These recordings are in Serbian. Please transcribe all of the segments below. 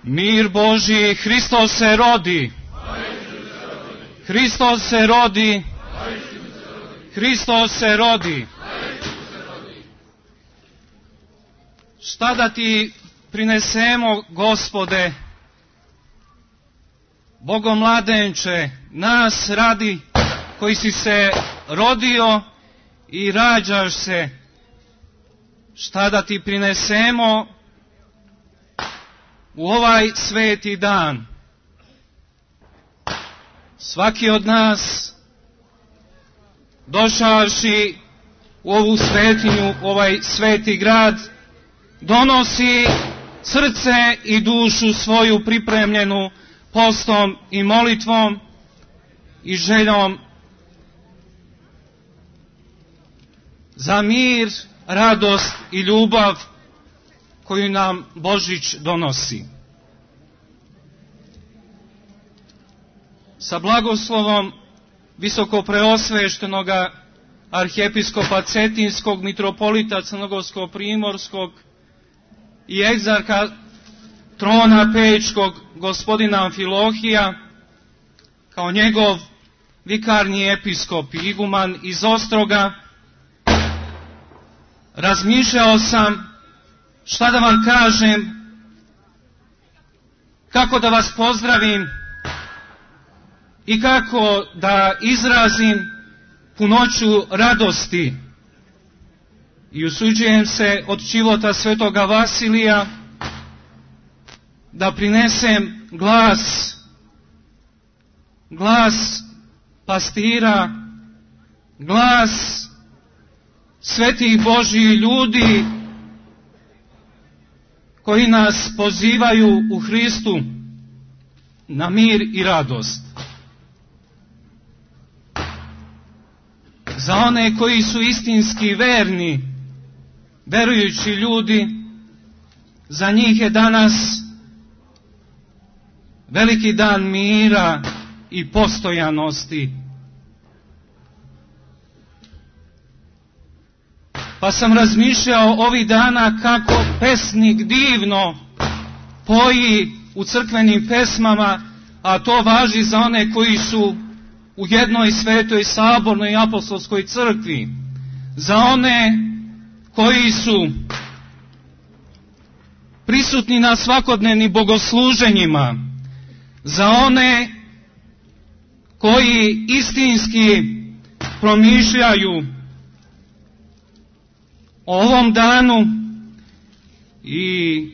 Mir Božji, Hristos se rodi. Hristos se rodi. Hristos se rodi. Šta da ti prinesemo, Gospode, Bogomladenče, nas radi koji si se rodio i rađaš se. Šta da ti prinesemo u ovaj sveti dan? Svaki od nas, došavši u ovu svetinju, u ovaj sveti grad, donosi srce i dušu svoju pripremljenu postom i molitvom i željom za mir, radost i ljubav koju nam Božić donosi. Sa blagoslovom visokopreosveštenoga arhijepiskopa Cetinskog, mitropolita Crnogorsko-primorskog i egzarha trona Pečkog, gospodina Amfilohija, kao njegov vikarni episkop i iguman iz Ostroga, razmišljao sam šta da vam kažem, kako da vas pozdravim i kako da izrazim punoću radosti. I usuđujem se od života svetoga Vasilija da prinesem glas pastira, glas svetih Božjih ljudi koji nas pozivaju u Hristu na mir i radost. Za one koji su istinski verni, verujući ljudi, za njih je danas veliki dan mira i postojanosti. Pa sam razmišljao ovih dana kako pesnik divno poji u crkvenim pesmama, a to važi za one koji su u jednoj svetoj sabornoj apostolskoj crkvi, za one koji su prisutni na svakodnevnim bogosluženjima, za one koji istinski promišljaju o ovom danu i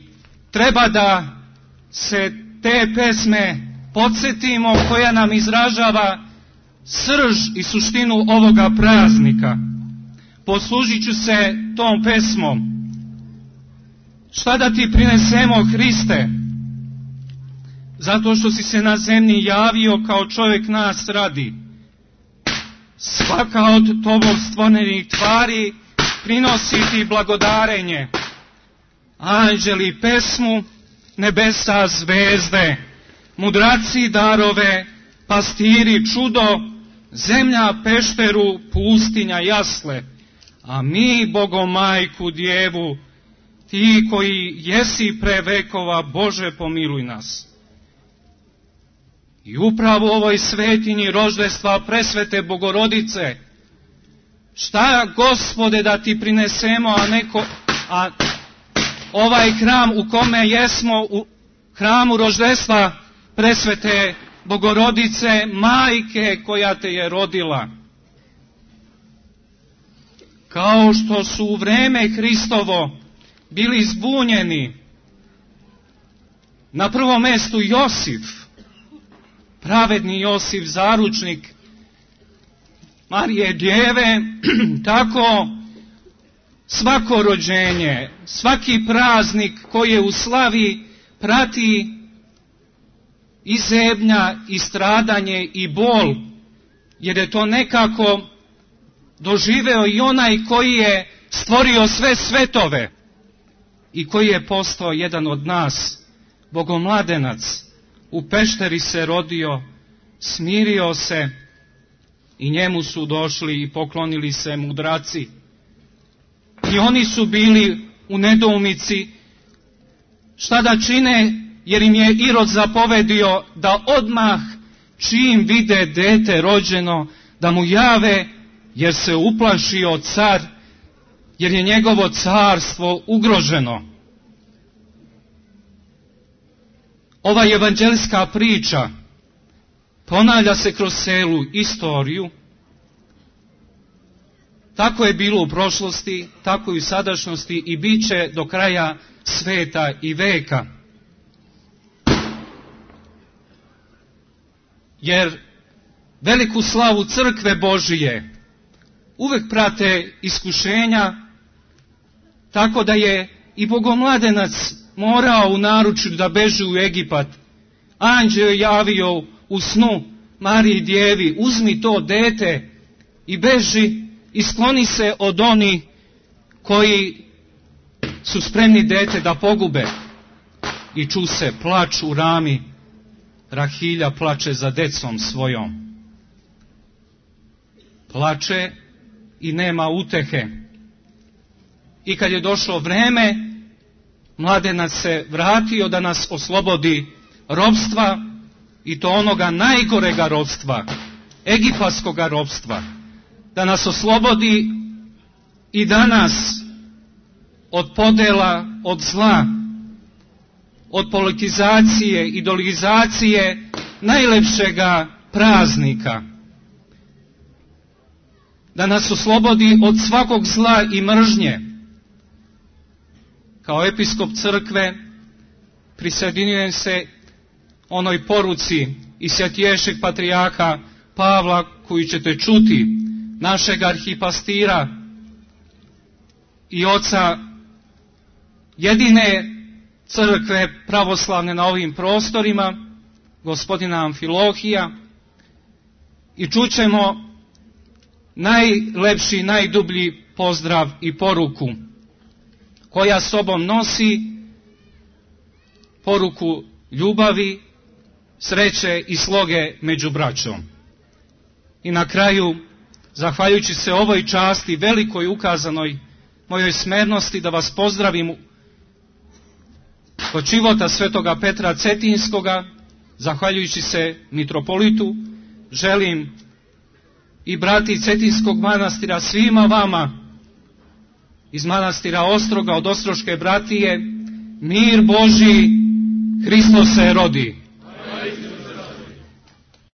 treba da se te pesme podsjetimo koja nam izražava srž i suštinu ovoga praznika. Poslužit ću se tom pesmom. Šta da ti prinesemo, Hriste? Zato što si se na zemlji javio kao čovjek nas radi. Svaka od tobog stvorenih tvari prinosi ti blagodarenje. Anđeli pesmu, nebesa zvezde, mudraci darove, pastiri čudo, zemlja pešteru, pustinja jasle, a mi Bogomajku djevu, ti koji jesi pre vekova, Bože pomiluj nas. I upravo u ovoj svetinji roždestva presvete Bogorodice, šta, Gospode, da ti prinesemo, a ovaj hram u kome jesmo, u hramu roždestva presvete Bogorodice, majke koja te je rodila. Kao što su u vreme Hristovo bili zbunjeni, na prvom mjestu Josif, pravedni Josif, zaručnik Marije Djeve, tako svako rođenje, svaki praznik koji je u slavi prati i zebnja, i stradanje, i bol, jer je to nekako doživeo i onaj koji je stvorio sve svetove i koji je postao jedan od nas, Bogomladenac, u pešteri se rodio, smirio se i njemu su došli i poklonili se mudraci. I oni su bili u nedoumici šta da čine, jer im je Irod zapovedio da odmah čim vide dete rođeno, da mu jave, jer se uplašio car, jer je njegovo carstvo ugroženo. Ova evanđelska priča ponavlja se kroz celu istoriju. Tako je bilo u prošlosti, tako i u sadašnjosti i bit će do kraja sveta i veka. Jer veliku slavu crkve Božije uvek prate iskušenja, tako da je i bogomladenac morao u naručju da beži u Egipat. Anđeo je javio u snu Mariji Djevi, uzmi to dete i beži i skloni se od onih koji su spremni dete da pogube. I ču se plač u rami, Rahilja plače za decom svojom. Plače i nema utehe. I kad je došlo vreme, mladenac se vratio da nas oslobodi ropstva, i to onoga najgorega ropstva, egipatskoga ropstva, da nas oslobodi i danas od podela, od zla, od politizacije, ideologizacije najlepšega praznika, da nas oslobodi od svakog zla i mržnje. Kao episkop crkve prisjedinjujem se onoj poruci i svjetiješeg patrijarha Pavla, koju ćete čuti, našeg arhipastira i oca jedine crkve pravoslavne na ovim prostorima, gospodina Amfilohija, i čućemo najlepši, najdublji pozdrav i poruku, koja sobom nosi poruku ljubavi, sreće i sloge među braćom. I na kraju, zahvaljujući se ovoj časti velikoj ukazanoj mojoj smernosti, da vas pozdravim kod života svetoga Petra Cetinskoga, zahvaljujući se mitropolitu, želim i brati Cetinskog manastira svima vama iz manastira Ostroga, od Ostroške bratije, mir Božji, Hristos se rodi.